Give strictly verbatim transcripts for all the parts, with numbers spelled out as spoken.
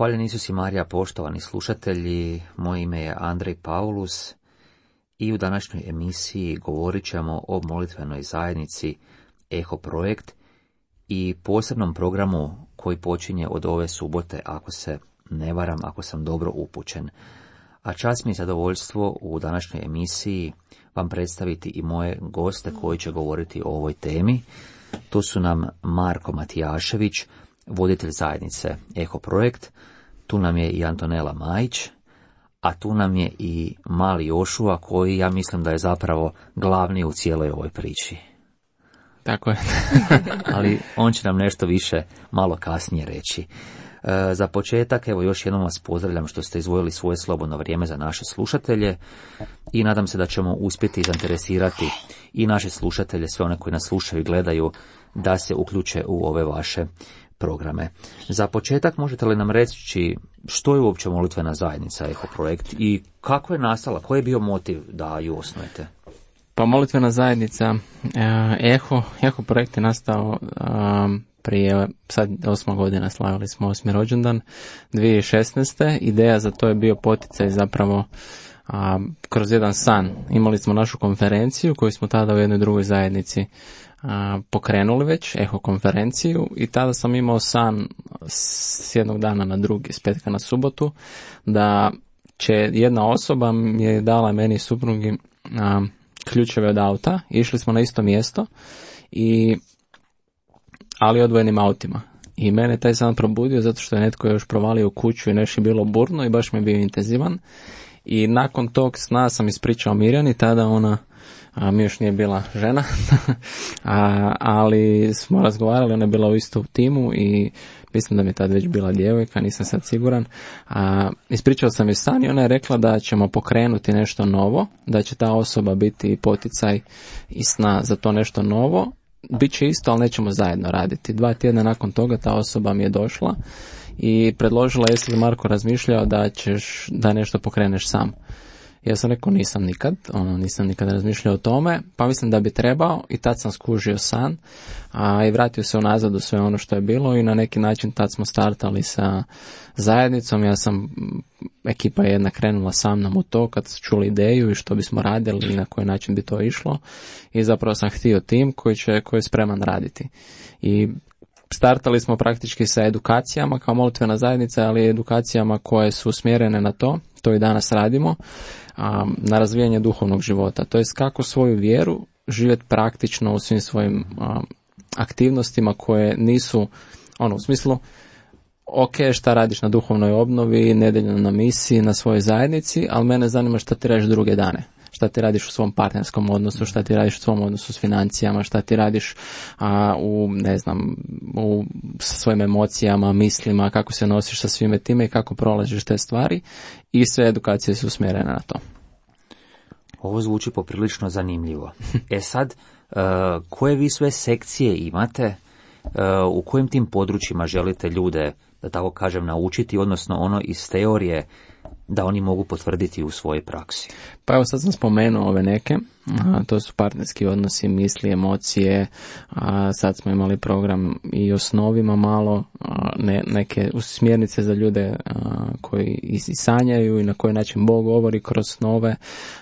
Hvaljen Isus i Marija, poštovani slušatelji, moje ime je Andrej Paulus i u današnjoj emisiji govorit ćemo o molitvenoj zajednici Eho Projekt i posebnom programu koji počinje od ove subote, ako se ne varam, ako sam dobro upućen. A čast mi je zadovoljstvo u današnjoj emisiji vam predstaviti i moje goste koji će govoriti o ovoj temi. To su nam Marko Matijašević, voditelj zajednice Eho Projekt, tu nam je i Antonela Majić, a tu nam je i mali Jošua koji ja mislim da je zapravo glavni u cijeloj ovoj priči. Tako je. Ali on će nam nešto više malo kasnije reći. E, za početak, evo još jednom vas pozdravljam što ste izdvojili svoje slobodno vrijeme za naše slušatelje i nadam se da ćemo uspjeti zainteresirati i naše slušatelje, sve one koji nas slušaju i gledaju, da se uključe u ove vaše programe. Za početak možete li nam reći što je uopće molitvena zajednica Eho Projekt i kako je nastala, koji je bio motiv da ju osnujete? Pa molitvena zajednica Eho, Eho Projekt je nastao um, prije, sad osma godina, slavili smo osmi rođendan, dvije tisuće šesnaeste. Ideja za to je bio poticaj zapravo a, kroz jedan san. Imali smo našu konferenciju koju smo tada u jednoj drugoj zajednici a, pokrenuli već, Eho konferenciju, i tada sam imao san s jednog dana na drugi, s petka na subotu, da će jedna osoba mi je dala meni i suprugi a, ključeve od auta, išli smo na isto mjesto, i ali odvojenim autima. I mene taj san probudio zato što je netko još provalio u kuću i nešto je bilo burno i baš mi je bio intenzivan. I nakon tog sna sam ispričao Mirjani, tada ona a, mi još nije bila žena, a, ali smo razgovarali, ona je bila u istom timu i mislim da mi je tad već bila djevojka, nisam sad siguran. A, ispričao sam joj san i ona je rekla da ćemo pokrenuti nešto novo, da će ta osoba biti poticaj i sna za to nešto novo. Biće isto, ali nećemo zajedno raditi. Dva tjedna nakon toga ta osoba mi je došla i predložila, jesi li Marko razmišljao da ćeš, da nešto pokreneš sam. Ja sam rekao nisam nikad, ono, nisam nikad razmišljao o tome, pa mislim da bi trebao, i tad sam skužio san, a i vratio se unazad u sve ono što je bilo i na neki način tad smo startali sa zajednicom. Ja sam, ekipa je jedna krenula sa mnom u to kad su čuli ideju i što bismo radili i na koji način bi to išlo, i zapravo sam htio tim koji će, koji je spreman raditi. I startali smo praktički sa edukacijama kao molitvena zajednica, ali edukacijama koje su usmjerene na to, to i danas radimo, na razvijanje duhovnog života. To jest kako svoju vjeru živjeti praktično u svim svojim aktivnostima koje nisu, ono, u smislu, ok, šta radiš na duhovnoj obnovi, nedeljno na misiji, na svojoj zajednici, ali mene zanima šta ti radiš druge dane. Šta ti radiš u svom partnerskom odnosu, šta ti radiš u svom odnosu s financijama, šta ti radiš a, u, ne znam, u, sa svojim emocijama, mislima, kako se nosiš sa svime time i kako prolaziš te stvari, i sve edukacije su usmjerene na to. Ovo zvuči poprilično zanimljivo. E sad, uh, koje vi sve sekcije imate, uh, u kojim tim područjima želite ljude, da tako kažem, naučiti, odnosno ono iz teorije, da oni mogu potvrditi u svojoj praksi? Pa evo, sad sam spomenuo ove neke, a, to su partnerski odnosi, misli, emocije, a sad smo imali program i o snovima malo, a, ne, neke smjernice za ljude a, koji i sanjaju i na koji način Bog govori kroz snove,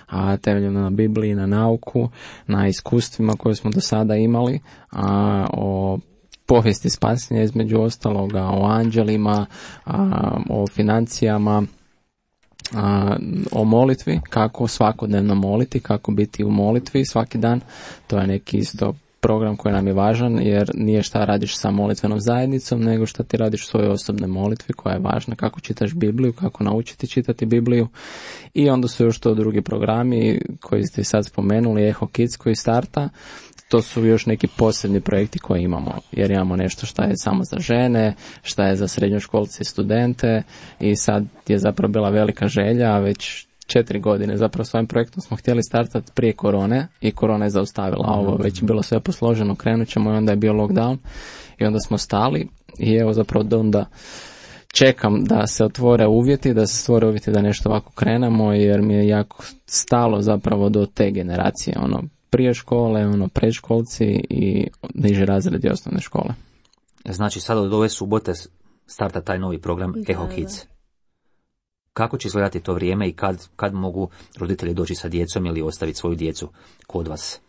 a temeljeno na Bibliji, na nauku, na iskustvima koje smo do sada imali, a, o povijesti spasenja između ostaloga, o anđelima, a, o financijama, A, o molitvi, kako svakodnevno moliti, kako biti u molitvi svaki dan. To je neki isto program koji nam je važan, jer nije šta radiš sa molitvenom zajednicom, nego šta ti radiš u svojoj osobnoj molitvi koja je važna, kako čitaš Bibliju, kako naučiti čitati Bibliju. I onda su još to drugi programi koji ste sad spomenuli, Eho Kids koji starta. To su još neki posebni projekti koje imamo, jer imamo nešto što je samo za žene, što je za srednjoškolce i studente, i sad je zapravo bila velika želja, a već četiri godine zapravo s ovim projektom smo htjeli startati prije korone i korona je zaustavila ovo, već je bilo sve posloženo, krenut ćemo, i onda je bio lockdown i onda smo stali, i evo zapravo do onda čekam da se otvore uvjeti, da se stvore uvjeti da nešto ovako krenemo, jer mi je jako stalo zapravo do te generacije, ono, prije škole, ono, predškolci i niži razredi osnovne škole. Znači sad od ove subote starta taj novi program Da, Eho da. Kids. Kako će izgledati to vrijeme i kad, kad mogu roditelji doći sa djecom ili ostaviti svoju djecu kod vas?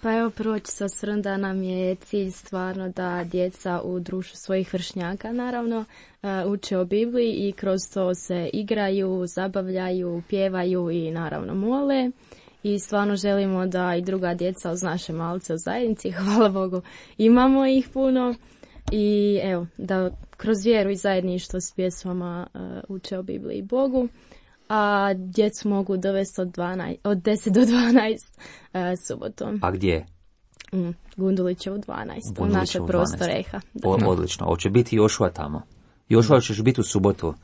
Pa evo, prvo ću se osvrnuti da nam je cilj stvarno da djeca u društvu svojih vršnjaka, naravno, uče o Bibliji i kroz to se igraju, zabavljaju, pjevaju i naravno mole. I stvarno želimo da i druga djeca uz naše malce u zajednici, hvala Bogu, imamo ih puno. I evo, da kroz vjeru i zajedništvo s pjesmama uh, uče o Bibliji i Bogu. A djecu mogu dovesti od, dvanaest, od deset do dvanaest uh, subotom. A gdje? Mm, Gundulićevu dvanaest, u Gundulićevu naše prostor Eha. O, odlično. Hoće biti Jošua tamo. Jošua, ćeš biti u subotu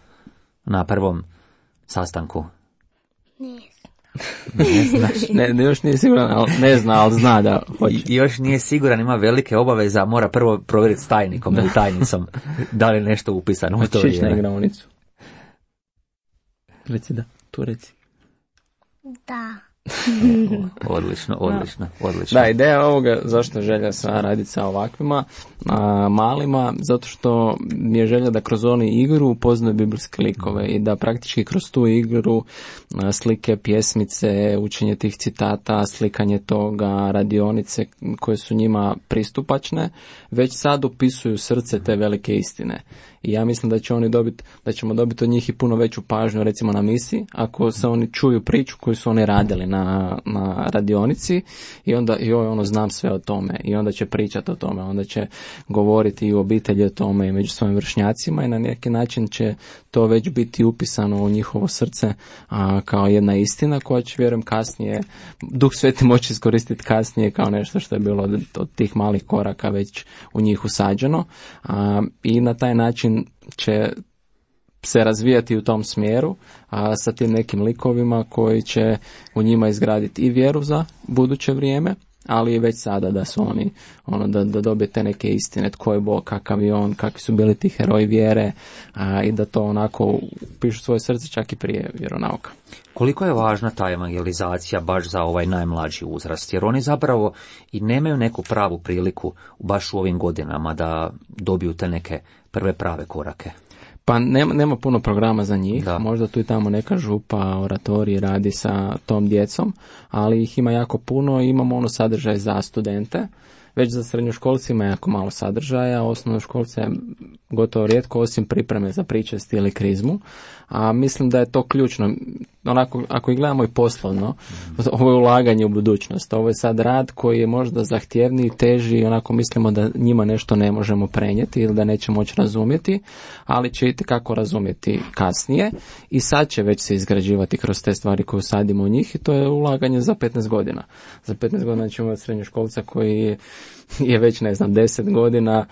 na prvom sastanku? Ne znaš. Ne, ne, još nije siguran, ali ne zna, ali zna da hoće. I, još nije siguran, ima velike obaveze, mora prvo provjeriti s tajnikom ili tajnicom da li je nešto upisano u to Hoćeš na vrijeme. igraonicu? Reci da, tu reci. Da. Odlično, odlično, odlično. Da, ideja ovoga, zašto je želja sa raditi sa ovakvima a, malima, zato što mi je želja da kroz oni igru upoznaju biblijske likove i da praktički kroz tu igru a, slike, pjesmice, učenje tih citata, slikanje toga, radionice koje su njima pristupačne, već sad upisuju srce te velike istine. I ja mislim da će oni dobiti, da ćemo dobiti od njih i puno veću pažnju, recimo na misi, ako se oni čuju priču koju su oni radili na, na radionici i onda, joj, ono, znam sve o tome i onda će pričati o tome, onda će govoriti i u obitelji o tome i među svojim vršnjacima i na neki način će to već biti upisano u njihovo srce a, kao jedna istina koja će, vjerujem, kasnije, Duh Sveti moći iskoristiti kasnije kao nešto što je bilo od, od tih malih koraka već u njih usađeno a, i na taj način će se razvijati u tom smjeru, a sa tim nekim likovima koji će u njima izgraditi i vjeru za buduće vrijeme, ali i već sada da su oni, ono, da, da dobije te neke istine, tko je Bog, kakav je on, kakvi su bili ti heroji vjere a, i da to onako pišu svoje srce čak i prije vjeronauka. Koliko je važna ta evangelizacija baš za ovaj najmlađi uzrast, jer oni zapravo i nemaju neku pravu priliku baš u ovim godinama da dobiju te neke prve prave korake. Pa nema, nema puno programa za njih, da. Možda tu i tamo neka župa, oratorij radi sa tom djecom, ali ih ima jako puno i imamo ono sadržaj za studente. Već za srednjoškolci ima jako malo sadržaja, osnovnoškolce gotovo rijetko, osim pripreme za pričest ili krizmu, a mislim da je to ključno. Onako, ako i gledamo i poslovno, ovo je ulaganje u budućnost, ovo je sad rad koji je možda zahtjevniji, teži, onako mislimo da njima nešto ne možemo prenijeti ili da neće moći razumjeti, ali će itekako razumjeti kasnije i sad će već se izgrađivati kroz te stvari koje usadimo u njih i to je ulaganje za petnaest godina. Za petnaest godina ćemo imati srednjoškolca koji je već, ne znam, deset godina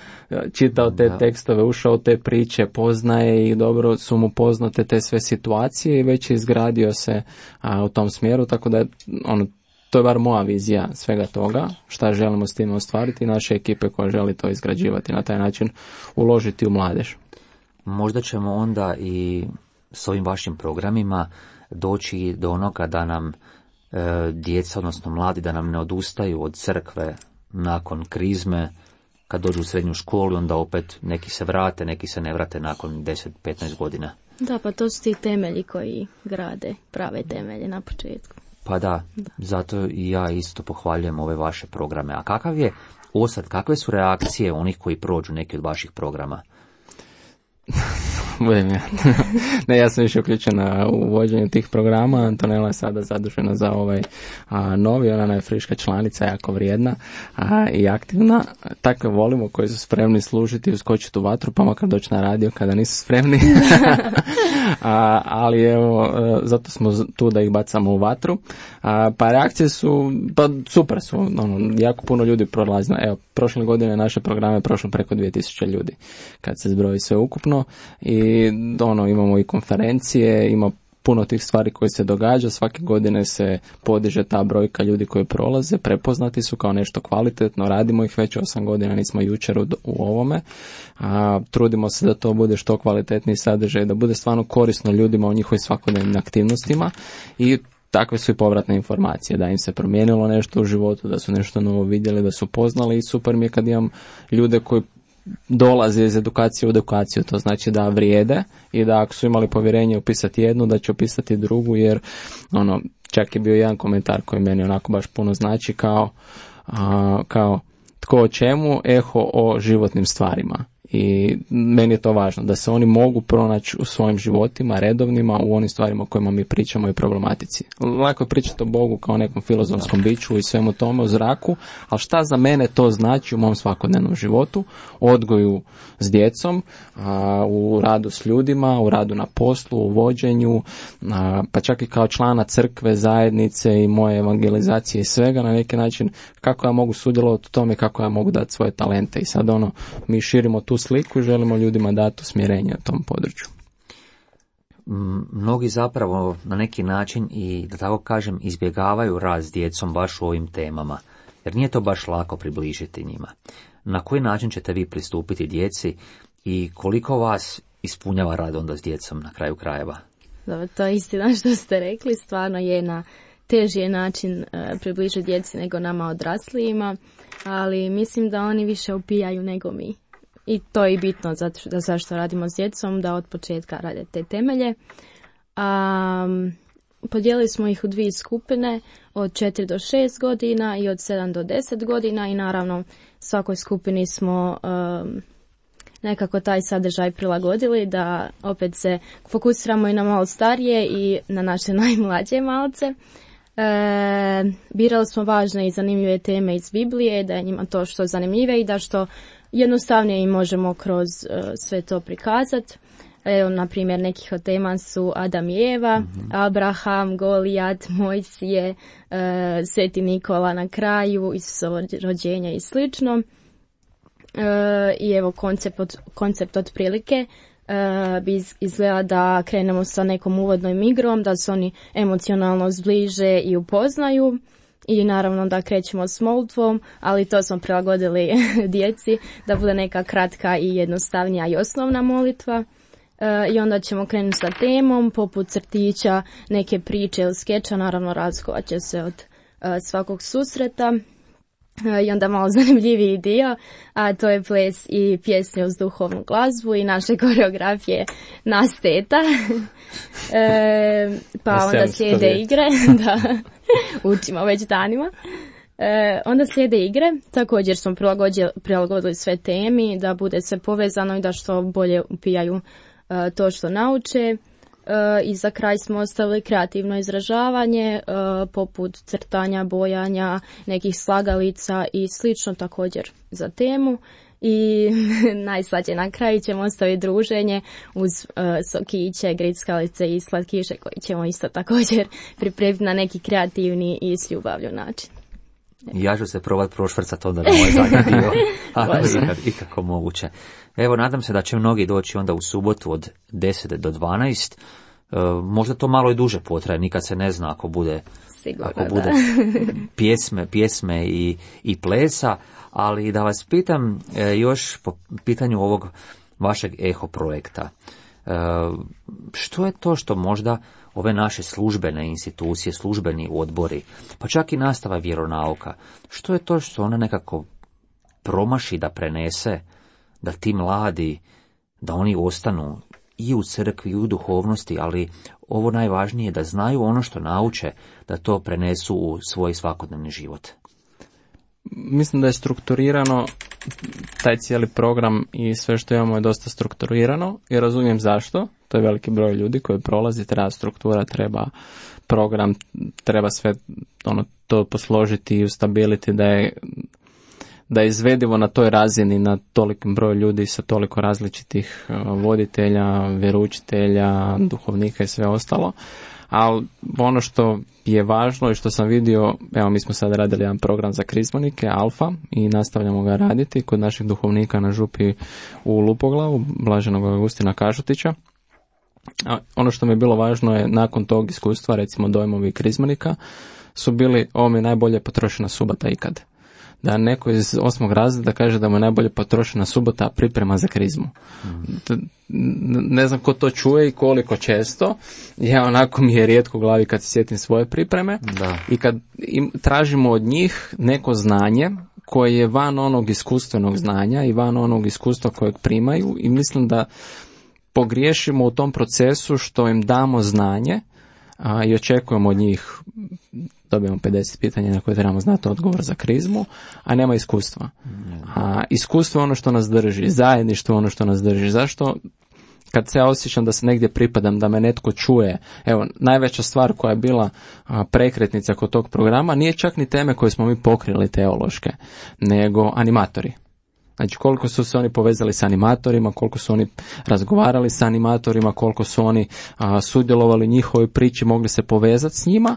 čitao te da. tekstove, ušao u te priče, poznaje i dobro su mu poznate te sve situacije i već je izgradio se a, u tom smjeru, tako da ono, to je bar moja vizija svega toga, šta želimo s time ostvariti, naše ekipe koja želi to izgrađivati, na taj način uložiti u mladež. Možda ćemo onda i s ovim vašim programima doći do onoga da nam e, djeca, odnosno mladi, da nam ne odustaju od crkve nakon krizme, kad dođu u srednju školu, onda opet neki se vrate, neki se ne vrate nakon deset do petnaest godina. Da, pa to su ti temelji koji grade prave temelje na početku. Pa da, Da. zato i ja isto pohvaljujem ove vaše programe. A kakav je osad, kakve su reakcije onih koji prođu neki od vaših programa? Budem ja. Ne, ja sam više uključen u vođenju tih programa. Antonella je sada zadužena za ovaj a, novi, ona je friška članica, jako vrijedna a, i aktivna. Takve volimo koji su spremni služiti i uskočiti u vatru, pa makar doći na radio kada nisu spremni. a, ali evo, zato smo tu da ih bacamo u vatru. A, pa reakcije su, pa super su, ono, jako puno ljudi prolazi. Evo, prošle godine naše programe prošlo preko dvije tisuće ljudi, kad se zbroji sve ukupno i ono, imamo i konferencije, ima puno tih stvari koje se događa, svake godine se podiže ta brojka ljudi koji prolaze, prepoznati su kao nešto kvalitetno, radimo ih već osam godina, nismo jučer u, u ovome, a, trudimo se da to bude što kvalitetniji sadržaj, da bude stvarno korisno ljudima u njihovim svakodnevnim aktivnostima i takve su i povratne informacije, da im se promijenilo nešto u životu, da su nešto novo vidjeli, da su poznali i super mi je kad imam ljude koji dolazi iz edukacije u edukaciju, to znači da vrijede i da ako su imali povjerenje upisati jednu, da će upisati drugu, jer ono, čak je bio jedan komentar koji meni onako baš puno znači, kao, a, kao tko o čemu, eho o životnim stvarima. I meni je to važno, da se oni mogu pronaći u svojim životima, redovnima, u onim stvarima o kojima mi pričamo i problematici. Lako je pričati o Bogu kao nekom filozofskom biću i svemu tome u zraku, ali šta za mene to znači u mom svakodnevnom životu, odgoju s djecom, a, u radu s ljudima, u radu na poslu, u vođenju, a, pa čak i kao člana crkve, zajednice i moje evangelizacije i svega na neki način, kako ja mogu sudjelovati u tome, kako ja mogu dati svoje talente. I sad ono, mi širimo tu sliku i želimo ljudima dati usmjerenje na tom području. Mnogi zapravo na neki način i, da tako kažem, izbjegavaju rad s djecom baš u ovim temama, jer nije to baš lako približiti njima. Na koji način ćete vi pristupiti djeci i koliko vas ispunjava rad onda s djecom na kraju krajeva? Dobro, to je istina što ste rekli, stvarno je na teži je način e, približiti djeci nego nama odraslijima, ali mislim da oni više upijaju nego mi. I to je bitno zato što, zašto radimo s djecom, da od početka rade te temelje. A, podijelili smo ih u dvije skupine, od četiri do šest godina i od sedam do deset godina i naravno svakoj skupini smo um, nekako taj sadržaj prilagodili, da opet se fokusiramo i na malo starije i na naše najmlađe malce. E, birali smo važne i zanimljive teme iz Biblije, da je njima to što zanimljive i da što jednostavnije i možemo kroz uh, sve to prikazati. Evo, na primjer, nekih od tema su Adam i Eva, mm-hmm. Abraham, Golijat, Mojsije, uh, Sveti Nikola na kraju, Isusovo rođenje i slično. Uh, I evo, koncept, od, koncept otprilike uh, bi izgleda da krenemo sa nekom uvodnom igrom, da se oni emocionalno zbliže i upoznaju. I naravno da krećemo s molitvom, ali to smo prilagodili djeci, da bude neka kratka i jednostavnija i osnovna molitva. E, I onda ćemo krenuti sa temom, poput crtića, neke priče ili skeča, naravno razlikovat će se od e, svakog susreta. E, I onda malo zanimljiviji dio, a to je ples i pjesme uz duhovnu glazbu i naše koreografije na steta. E, pa onda slijede igre, da, učimo već danima. E, onda slijede igre, također smo prilagodili, prilagodili sve temi, da bude sve povezano i da što bolje upijaju e, to što nauče. E, I za kraj smo ostavili kreativno izražavanje, e, poput crtanja, bojanja, nekih slagalica i slično također za temu. I najslađe na kraju ćemo ostaviti druženje uz uh, sokiće, grickalice i slatkiše koji ćemo isto također pripremiti na neki kreativni i s ljubavlju način. Ja ću se probati prošvrcati onda na ovaj zadnji dio, ali ikad, ikako moguće. Evo, nadam se da će mnogi doći onda u subotu od deset do dvanaest. Uh, možda to malo i duže potraje, nikad se ne zna ako bude, Sigurno, ako bude pjesme, pjesme i, i plesa. Ali da vas pitam e, još po pitanju ovog vašeg eho projekta. E, što je to što možda ove naše službene institucije, službeni odbori, pa čak i nastava vjeronauka, što je to što ona nekako promaši da prenese, da ti mladi, da oni ostanu i u crkvi i u duhovnosti, ali ovo najvažnije da znaju ono što nauče, da to prenesu u svoj svakodnevni život. Mislim da je strukturirano, taj cijeli program i sve što imamo je dosta strukturirano i razumijem zašto. To je veliki broj ljudi koji prolazi, treba struktura, treba program, treba sve ono, to posložiti i ustabiliti da je, da je izvedivo na toj razini, na tolikom broju ljudi sa toliko različitih voditelja, vjeroučitelja, duhovnika i sve ostalo. Ali ono što je važno i što sam vidio, evo mi smo sad radili jedan program za krizmonike, Alfa, i nastavljamo ga raditi kod naših duhovnika na župi u Lupoglavu, Blaženog Augustina Kažutića. A ono što mi je bilo važno je nakon tog iskustva, recimo dojmovi krizmonika, su bili, ovo mi je najbolje potrošena subota ikad. Da neko iz osmog razreda kaže da mu je najbolje potrošena subota priprema za krizmu. Mm. Ne znam ko to čuje i koliko često. Ja onako mi je rijetko u glavi kad se sjetim svoje pripreme. Da. I kad im tražimo od njih neko znanje koji je van onog iskustvenog znanja i van onog iskustva kojeg primaju i mislim da pogriješimo u tom procesu što im damo znanje a, i očekujemo od njih, dobijemo pedeset pitanja na koje trebamo znati odgovor za krizmu, a nema iskustva. A iskustvo je ono što nas drži, zajedništvo je ono što nas drži. Zašto? Kad se ja osjećam da se negdje pripadam, da me netko čuje, evo, najveća stvar koja je bila a, prekretnica kod tog programa nije čak ni teme koje smo mi pokrili teološke, nego animatori. Znači koliko su se oni povezali s animatorima, koliko su oni razgovarali s animatorima, koliko su oni a, sudjelovali u njihovoj priči, mogli se povezati s njima.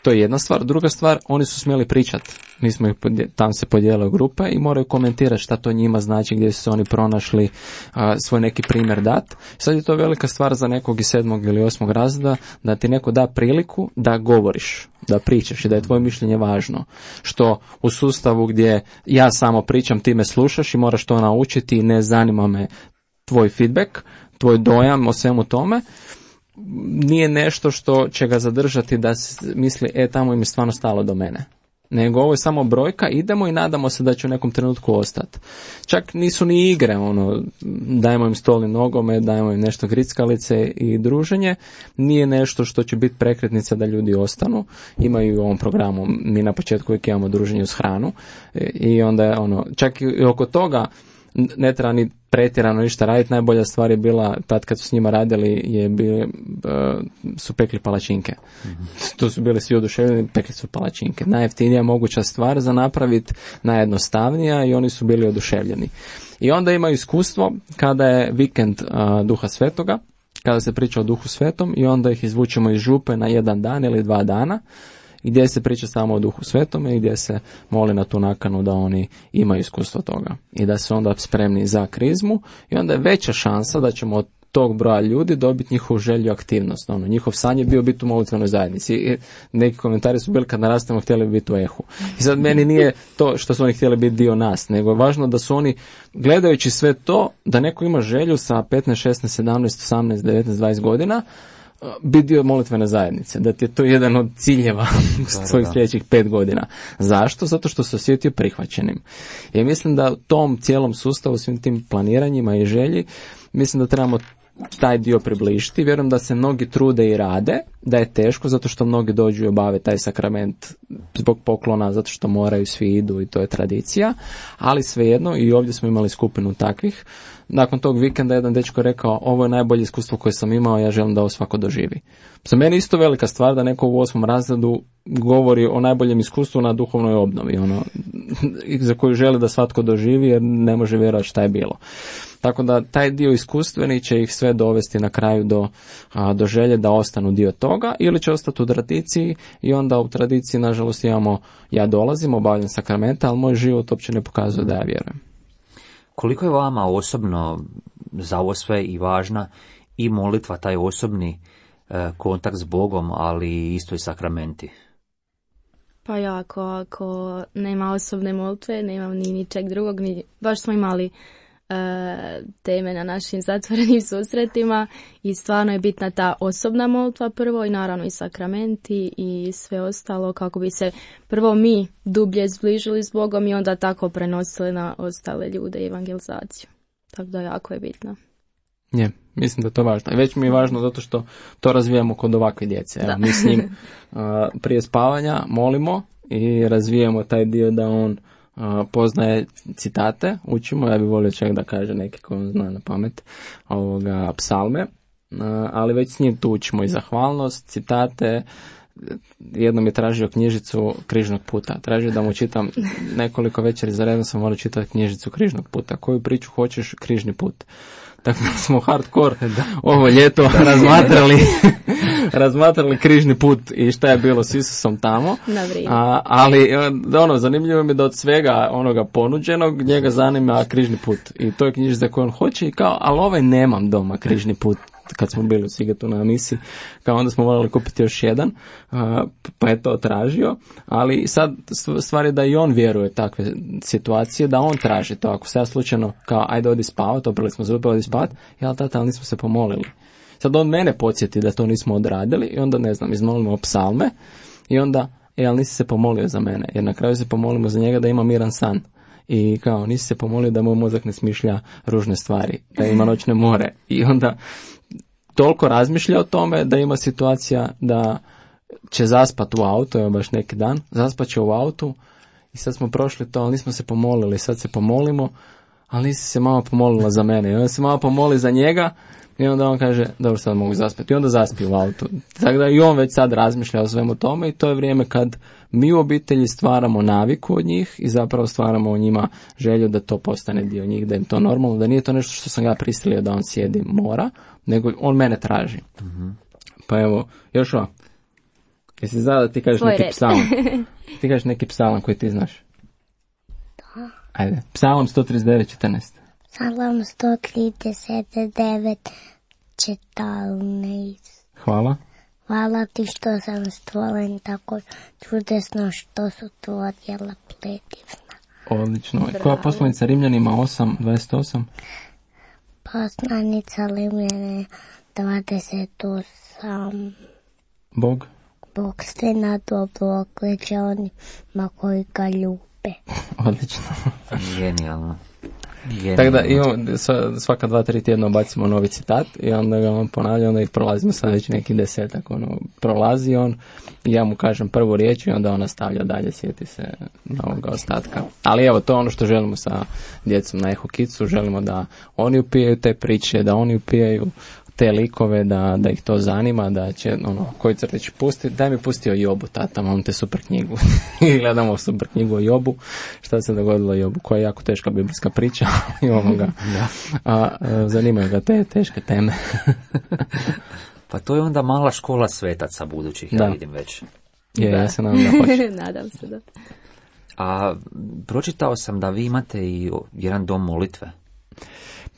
To je jedna stvar. Druga stvar, oni su smjeli pričati. Mi smo ih tam se podijelili u grupe i moraju komentirati šta to njima znači, gdje su se oni pronašli, a, svoj neki primjer dat. Sad je to velika stvar za nekog iz sedmog ili osmog razreda, da ti neko da priliku da govoriš, da pričaš i da je tvoje mišljenje važno. Što u sustavu gdje ja samo pričam, ti me slušaš i moraš to naučiti i ne zanima me tvoj feedback, tvoj dojam o svemu tome, nije nešto što će ga zadržati da se misli, e, tamo im je stvarno stalo do mene. Nego ovo je samo brojka, idemo i nadamo se da će u nekom trenutku ostati. Čak nisu ni igre, ono, dajemo im stol i nogome, dajemo im nešto grickalice i druženje, nije nešto što će biti prekretnica da ljudi ostanu. Imaju u ovom programu, mi na početku uvijek imamo druženje uz hranu i onda je ono, čak i oko toga ne treba ni pretjerano ništa raditi. Najbolja stvar je bila, tad kad su s njima radili, je bili, uh, su pekli palačinke. Mm-hmm. Tu su bili svi oduševljeni, pekli su palačinke. Najjeftinija moguća stvar za napraviti, najjednostavnija, i oni su bili oduševljeni. I onda imaju iskustvo kada je vikend uh, Duha Svetoga, kada se priča o Duhu Svetom i onda ih izvučemo iz župe na jedan dan ili dva dana, gdje se priča samo o Duhu Svetome i gdje se moli na tu nakanu da oni imaju iskustvo toga i da su onda spremni za krizmu, i onda je veća šansa da ćemo od tog broja ljudi dobiti njihovu želju, aktivnost. Ono, njihov san je bio biti u molitvenoj zajednici. I neki komentari su bili kad narastemo htjeli biti u Ehu. I sad meni nije to što su oni htjeli biti dio nas, nego je važno da su oni, gledajući sve to, da neko ima želju sa petnaest, šesnaest, sedamnaest, osamnaest, devetnaest, dvadeset godina biti dio molitvene zajednice, da ti je to jedan od ciljeva svojih sljedećih pet godina. Zašto? Zato što se osjetio prihvaćenim. I mislim da u tom cijelom sustavu, svim tim planiranjima i želji, mislim da trebamo taj dio približiti. Vjerujem da se mnogi trude i rade, da je teško zato što mnogi dođu i obave taj sakrament zbog poklona, zato što moraju, svi idu i to je tradicija, ali svejedno, i ovdje smo imali skupinu takvih. Nakon tog vikenda jedan dečko rekao, ovo je najbolje iskustvo koje sam imao, ja želim da ovo svako doživi. Za mene isto velika stvar da neko u osmom razredu govori o najboljem iskustvu na duhovnoj obnovi, ono, za koju želi da svatko doživi jer ne može vjerovati šta je bilo. Tako da taj dio iskustveni će ih sve dovesti na kraju do, a, do želje da ostanu dio toga, ili će ostati u tradiciji, i onda u tradiciji nažalost imamo, ja dolazim, obavljam sakramenta, ali moj život uopće ne pokazuje da ja vjerujem. Koliko je vama osobno za ovo sve i važna i molitva, taj osobni e, kontakt s Bogom, ali isto i sakramenti? Pa jako, ako nema osobne molitve, nemam ni ničeg drugog, ni, baš smo imali e, teme na našim zatvorenim susretima i stvarno je bitna ta osobna molitva prvo, i naravno i sakramenti i sve ostalo, kako bi se prvo mi dublje zbližili s Bogom i onda tako prenosili na ostale ljude i evangelizaciju. Tako da jako je bitno. Je, mislim da je to važno. I već mi je važno zato što to razvijamo kod ovakve djece. Evo, mi s njim uh, prije spavanja molimo i razvijamo taj dio da on uh, poznaje citate, učimo. Ja bih volio čak da kaže neki koji on zna na pamet, ovoga, psalme, uh, ali već s njim tu učimo i zahvalnost, citate. Jednom je tražio knjižicu Križnog puta. Tražio da mu čitam nekoliko večeri za redom, sam morao čitati knjižicu Križnog puta. Koju priču hoćeš? Križni put. Tako da smo hardcore ovo ljeto razmatrali razmatrali križni put i šta je bilo s Isusom tamo. A, ali ono, zanimljivo mi je da od svega onoga ponuđenog njega zanima križni put. I to je knjižica koju on hoće i kao, ali ovaj nemam doma križni put. Kad smo bili u Sigatu na misiji, kao onda smo morali kupiti još jedan, pa je to tražio, ali sad stvar je da i on vjeruje takve situacije, da on traži to. Ako se ja slučajno kao, ajde odi spavat, oprali smo zube, odi spavat, ja tata, ali nismo se pomolili. Sad on mene podsjeti da to nismo odradili i onda, ne znam, izmolimo psalme i onda e, ali nisi se pomolio za mene, jer na kraju se pomolimo za njega da ima miran san. I kao, nisi se pomolio da mu mozak ne smišlja ružne stvari, da ima noćne more. I onda toliko razmišlja o tome da ima situacija da će zaspat u auto, evo baš neki dan, zaspat će u autu i sad smo prošli to, ali nismo se pomolili, sad se pomolimo, ali nisi se mama pomolila za mene. I onda se mama pomoli za njega i onda on kaže, dobro, sad mogu zaspati. I onda zaspi u autu. Tako da i on već sad razmišlja o svemu tome i to je vrijeme kad mi u obitelji stvaramo naviku od njih i zapravo stvaramo u njima želju da to postane dio njih, da im to normalno, da nije to nešto što sam ga prisilio da on sjedi mora, nego on mene traži. Mm-hmm. Pa evo, još ovo. Jesi znao da ti kažeš Svoj neki red. psalam? Ti kažeš neki psalam koji ti znaš? Da. Ajde, psalam sto trideset devet četrnaest. Psalam sto trideset devet četrnaest. Hvala. Hvala ti što sam stvoren tako čudesno što su tvoja djela predivna. Odlično. Bravo. Koja poslovica Rimljanima osam dvadeset osam? Poslanica Rimljane dvadeset osam. Bog? Bog sve na dobro okreće onima koji ga ljube. Odlično. Genijalno. Genijalno. Tako da imamo, svaka dva, tri tjedna bacimo novi citat i onda ga on ponavlja, onda ih prolazimo sad već neki desetak, ono, prolazi on i ja mu kažem prvu riječ i onda on nastavlja dalje, sjeti se novoga ostatka. Ali evo, to je ono što želimo sa djecom na Eho Kidsu, želimo da oni upijaju te priče, da oni upijaju te likove, da, da ih to zanima, da će, ono, koji crtić pusti, daj mi pustio Jobu, tata, mam te super knjigu. I gledamo super knjigu o Jobu, šta se dogodilo Jobu, koja je jako teška biblijska priča, imamo ga, a, a zanimaju ga te teške teme. Pa to je onda mala škola svetaca budućih, Da. ja vidim već. Je, Da. ja se nadam da hoće. Nadam se da. A pročitao sam da vi imate i jedan dom molitve.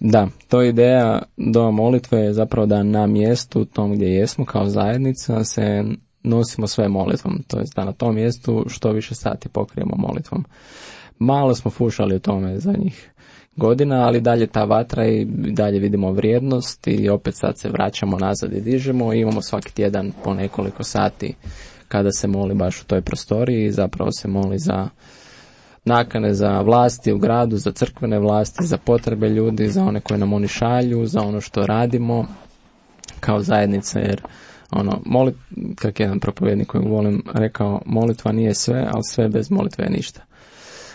Da, to je ideja doma molitve je zapravo da na mjestu tom gdje jesmo kao zajednica se nosimo sve molitvom, to je da na tom mjestu što više sati pokrijemo molitvom. Malo smo fušali o tome zadnjih godina, ali dalje ta vatra i dalje vidimo vrijednost i opet sad se vraćamo nazad i dižemo i imamo svaki tjedan po nekoliko sati kada se moli baš u toj prostoriji i zapravo se moli za nakane za vlasti u gradu, za crkvene vlasti, za potrebe ljudi, za one koje nam oni šalju, za ono što radimo kao zajednica, jer ono, molit, kak jedan propovjednik koji volim rekao, molitva nije sve, ali sve bez molitve je ništa.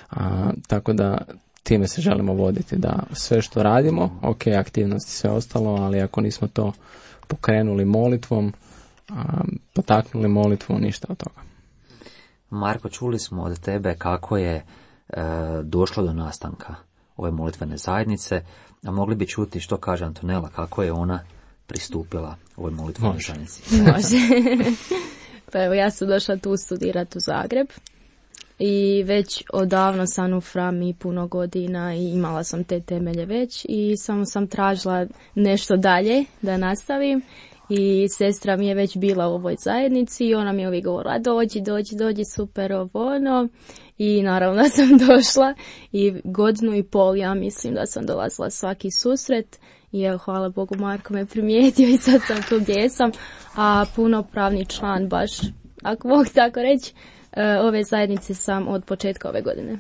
A, tako da time se želimo voditi, da sve što radimo, ok, aktivnosti, sve ostalo, ali ako nismo to pokrenuli molitvom, a, potaknuli molitvu, ništa od toga. Marko, čuli smo od tebe kako je e, došlo do nastanka ove molitvene zajednice, a mogli bi čuti što kaže Antonela, kako je ona pristupila ovoj molitvenoj Može. zajednici. Može. Pa evo, ja sam došla tu studirati u Zagreb i već odavno sam u Frami puno godina i imala sam te temelje već i samo sam tražila nešto dalje da nastavim. I sestra mi je već bila u ovoj zajednici i ona mi je uvijek govorila dođi, dođi, dođi, super, ovo ono. I naravno sam došla i godinu i pol ja mislim da sam dolazila svaki susret i evo, hvala Bogu, Marko me primijetio i sad sam tu gdje sam, a punopravni član baš, ako mogu tako reći, ove zajednice sam od početka ove godine.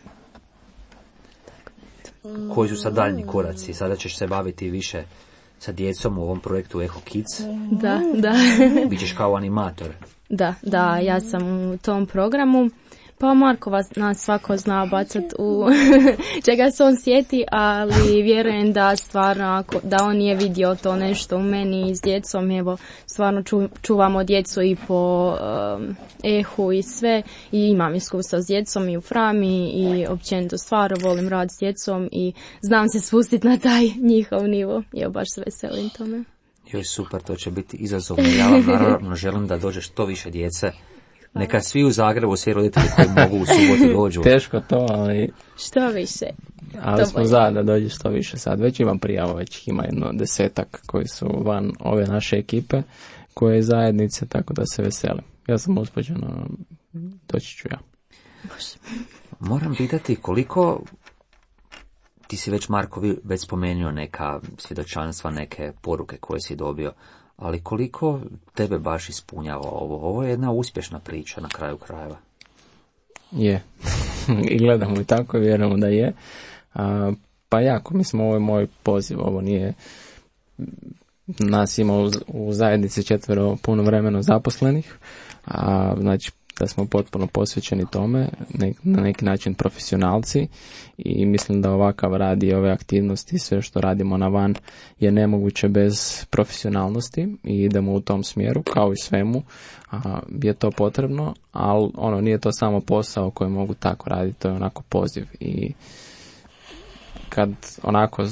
Koji su sad daljnji koraci? Sada ćeš se baviti više sa djecom u ovom projektu Eho Kids. Da, da. Bićeš kao animator. Da, da, ja sam u tom programu. Pa Marko vas, nas svako zna bacat u čega se on sjeti, ali vjerujem da stvarno, ako, da on nije vidio to nešto u meni s djecom, evo, stvarno ču, čuvamo djecu i po um, Ehu i sve, i imam iskustva s djecom i u Frami i općenito stvarno volim rad s djecom i znam se spustiti na taj njihov nivo. Evo, baš se veselim tome. Joj, super, to će biti izazovno. Ja vam naravno želim da dođe što više djece. Neka svi u Zagrebu, svi roditelji koji mogu u subotu dođu. Teško to, ali... Što više. Ali To smo bolje. za da dođe što više sad. Već imam prijavu, već ih ima jedno desetak koji su van ove naše ekipe, koje je zajednice, tako da se veselim. Ja sam uspođeno, doći ću ja. Moram pitati koliko, ti si već, Marko, vi- već spomenuo neka svjedočanstva, neke poruke koje si dobio, ali koliko tebe baš ispunjava ovo? Ovo je jedna uspješna priča na kraju krajeva. Je. I gledamo i tako, vjerujemo da je. A, pa jako, mislim, ovo je moj poziv, ovo nije... Nas ima u, u zajednici četvero puno vremeno zaposlenih, a znači da smo potpuno posvećeni tome, ne, na neki način profesionalci, i mislim da ovakav rad i ove aktivnosti, sve što radimo na van, je nemoguće bez profesionalnosti i idemo u tom smjeru, kao i svemu, a, je to potrebno, ali ono, nije to samo posao koji mogu tako raditi, to je onako poziv. I kad onako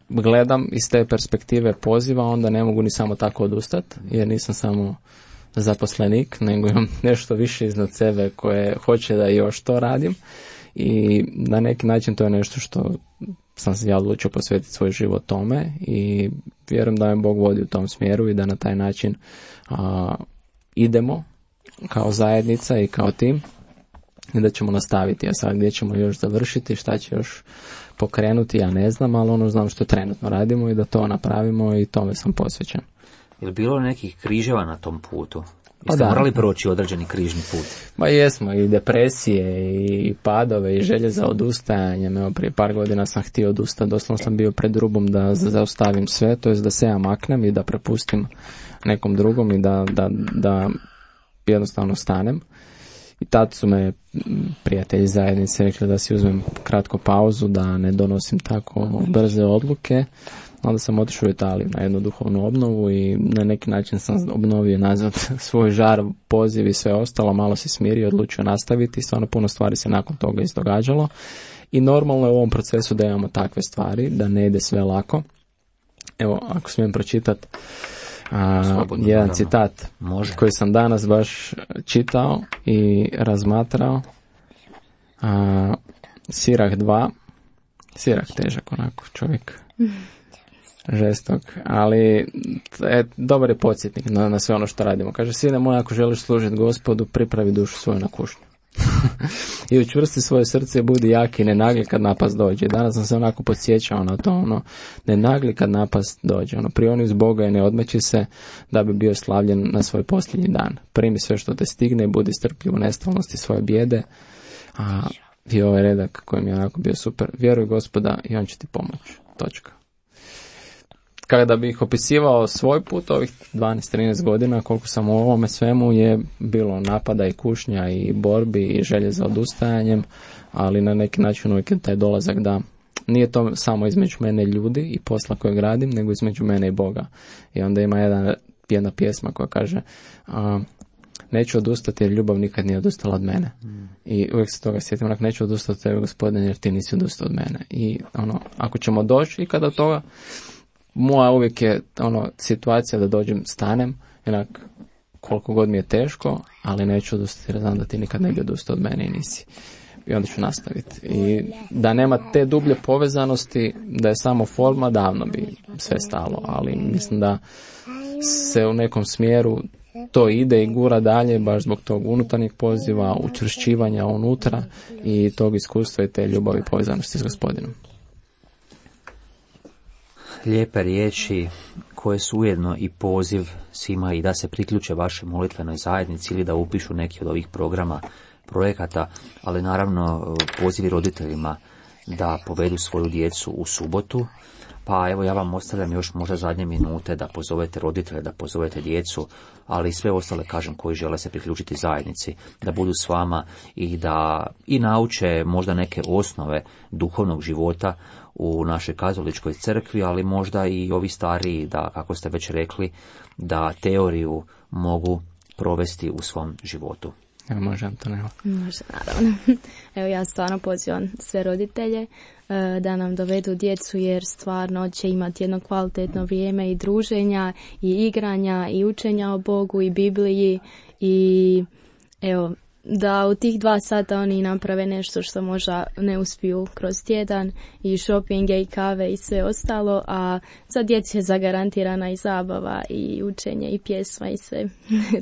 gledam iz te perspektive poziva, onda ne mogu ni samo tako odustati, jer nisam samo zaposlenik, nego imam nešto više iznad sebe koje hoće da još to radim, i na neki način to je nešto što sam se ja odlučio posvetiti svoj život tome, i vjerujem da me Bog vodi u tom smjeru i da na taj način a, idemo kao zajednica i kao tim, i da ćemo nastaviti. A sad gdje ćemo još završiti, šta će još pokrenuti, ja ne znam, ali ono znam što trenutno radimo i da to napravimo, i tome sam posvećen. Je li bilo nekih križeva na tom putu? Jeste da. morali proći određeni križni put? Ma jesmo, i depresije, i padove, i želje za odustajanjem. Evo, prije par godina sam htio odustati, doslovno sam bio pred rubom da zaustavim sve, to jest da se ja maknem i da prepustim nekom drugom i da, da, da jednostavno stanem. I tad su me prijatelji zajednice rekli da si uzmem kratku pauzu, da ne donosim tako brze odluke. Onda sam otišao u Italiju na jednu duhovnu obnovu i na neki način sam obnovio nazad svoj žar, poziv i sve ostalo, malo se smirio, odlučio nastaviti i stvarno puno stvari se nakon toga izdogađalo. I normalno je u ovom procesu da imamo takve stvari, da ne ide sve lako. Evo, ako smijem pročitati a, Slobodno, jedan naravno. citat Može. koji sam danas baš čitao i razmatrao. A, Sirah dva. Sirah težak onako čovjek. Žestok, ali e, dobar je podsjetnik na, na sve ono što radimo. Kaže, sine moj, ako želiš služiti Gospodu, pripravi dušu svoju na kušnju. I učvrsti svoje srce i budi jaki, ne nagli kad napast dođe. Danas sam se onako podsjećao na to, ono, ne nagli kad napast dođe. Ono, prioni uz Boga i ne odmeći se da bi bio slavljen na svoj posljednji dan. Primi sve što te stigne i budi strpljiv u nestalnosti svoje bijede. A, i ovaj redak koji mi je onako bio super. Vjeruj Gospoda i on će ti pomoći. Točka. Kada bih opisivao svoj put ovih dvanaest trinaest godina, koliko sam u ovome svemu, je bilo napada i kušnja i borbi i želje za odustajanjem, ali na neki način uvijek je taj dolazak da nije to samo između mene i ljudi i posla kojeg radim, nego između mene i Boga. I onda ima jedan, jedna pjesma koja kaže a, neću odustati jer ljubav nikad nije odustala od mene. Mm. I uvijek se toga sjetim, onak, neću odustati od tebe, Gospodine, jer ti nisi odustao od mene. I ono, ako ćemo doći i kada toga, moja uvijek je ono situacija da dođem, stanem, jednak koliko god mi je teško, ali neću odustati jer znam da ti nikad ne bi odustao od mene i nisi. I onda ću nastaviti. I da nema te dublje povezanosti, da je samo forma, davno bi sve stalo, ali mislim da se u nekom smjeru to ide i gura dalje baš zbog tog unutarnjeg poziva, učvršćivanja unutra i tog iskustva i te ljubavi povezanosti s Gospodinom. Lijepe riječi koje su ujedno i poziv svima i da se priključe vašoj molitvenoj zajednici ili da upišu neki od ovih programa, projekata, ali naravno pozivi roditeljima da povedu svoju djecu u subotu. Pa evo, ja vam ostavljam još možda zadnje minute da pozovete roditelje, da pozovete djecu, ali i sve ostale, kažem, koji žele se priključiti zajednici, da budu s vama i da i nauče možda neke osnove duhovnog života u našoj katoličkoj crkvi, ali možda i ovi stariji, da, kako ste već rekli, da teoriju mogu provesti u svom životu. Evo, može Antonella. Može, naravno. Evo, ja stvarno pozivam sve roditelje da nam dovedu djecu, jer stvarno će imati jedno kvalitetno vrijeme i druženja i igranja i učenja o Bogu i Bibliji, i evo, da u tih dva sata oni naprave nešto što možda ne uspiju kroz tjedan, i šopinge i kave i sve ostalo, a za djecu je zagarantirana i zabava i učenje i pjesma i sve.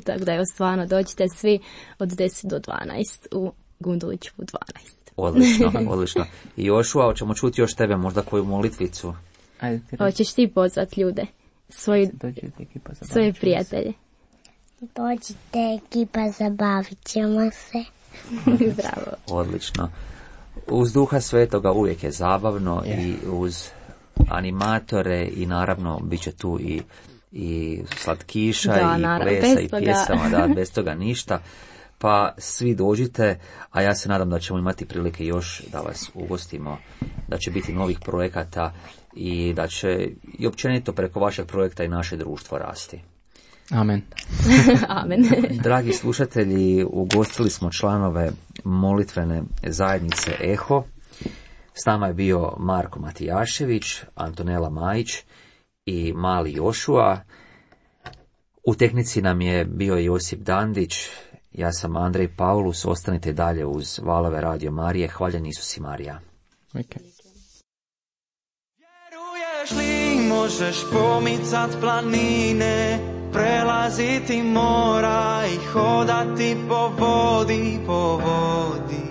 Tako da evo, stvarno dođite svi od deset do dvanaest u Gundulićevu dvanaest. Odlično, odlično. I Jošua, hoćemo čuti još tebe, možda koju molitvicu? Ajde, ti hoćeš ti pozvati ljude, svoji, svoje prijatelje? Dođite ekipa, zabavit ćemo se. Bravo. Odlično. Uz Duha Svetoga uvijek je zabavno yeah. i uz animatore i naravno bit će tu i, i slatkiša da, i naravno, plesa i toga. pjesama, da, bez toga ništa. Pa svi dođite, a ja se nadam da ćemo imati prilike još da vas ugostimo, da će biti novih projekata i da će i općenito preko vašeg projekta i naše društvo rasti. Amen. Amen. Dragi slušatelji, ugostili smo članove molitvene zajednice Eho. S nama je bio Marko Matijašević, Antonela Majić i mali Jošua. U tehnici nam je bio Josip Dandić. Ja sam Andrej Paulus, ostanite dalje uz valove Radio Marije. Hvaljen Isus i Marija. Okay. Vjeruješ li možeš pomicat planine, prelaziti mora i hodati po vodi, po vodi.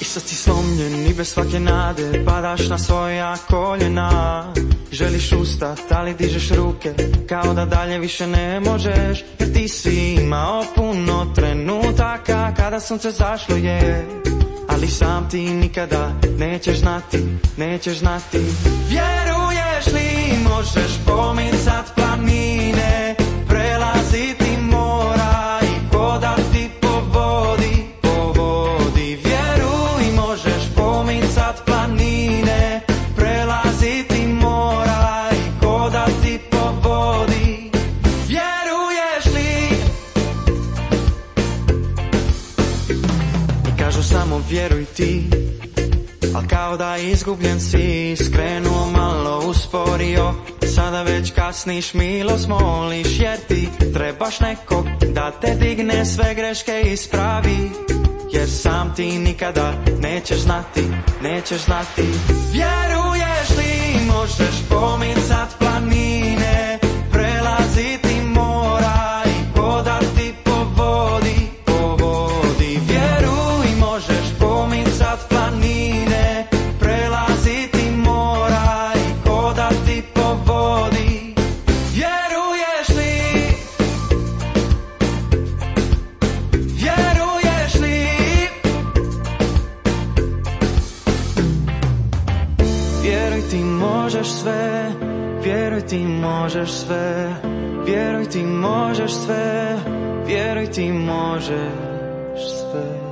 I sad si slomljen i bez svake nade padaš na svoja koljena. Želiš ustat, ali dižeš ruke kao da dalje više ne možeš, jer ti si imao puno trenutaka kada sunce zašlo je, ali sam ti nikada nećeš znati, nećeš znati. Vjeruješ li možeš pomicat planine, prelaziti mora i hodati po vodi, po vodi. Vjeruj, možeš pomicat planine, prelaziti mora i hodati po vodi. Vjeruješ li? I kažu samo vjeruj ti, al kao da izgubljen si, skrenuo malo usporio, sada već kasniš, milost moliš, jer ti trebaš nekog da te digne, sve greške ispravi, jer sam ti nikada nećeš znati, nećeš znati. Vjeruješ li možeš pomicat planine, prelaziti mora i hodati po vodi, po vodi. Vjeruj, možeš pomicat planine, prelaziti mora i hodati po vodi. Vjeruješ li? Vjeruješ li? Vjeruj, ti možeš sve, vjeruj, ti možeš sve, vjeruj, ti možeš sve, vjeruj, ti možeš sve.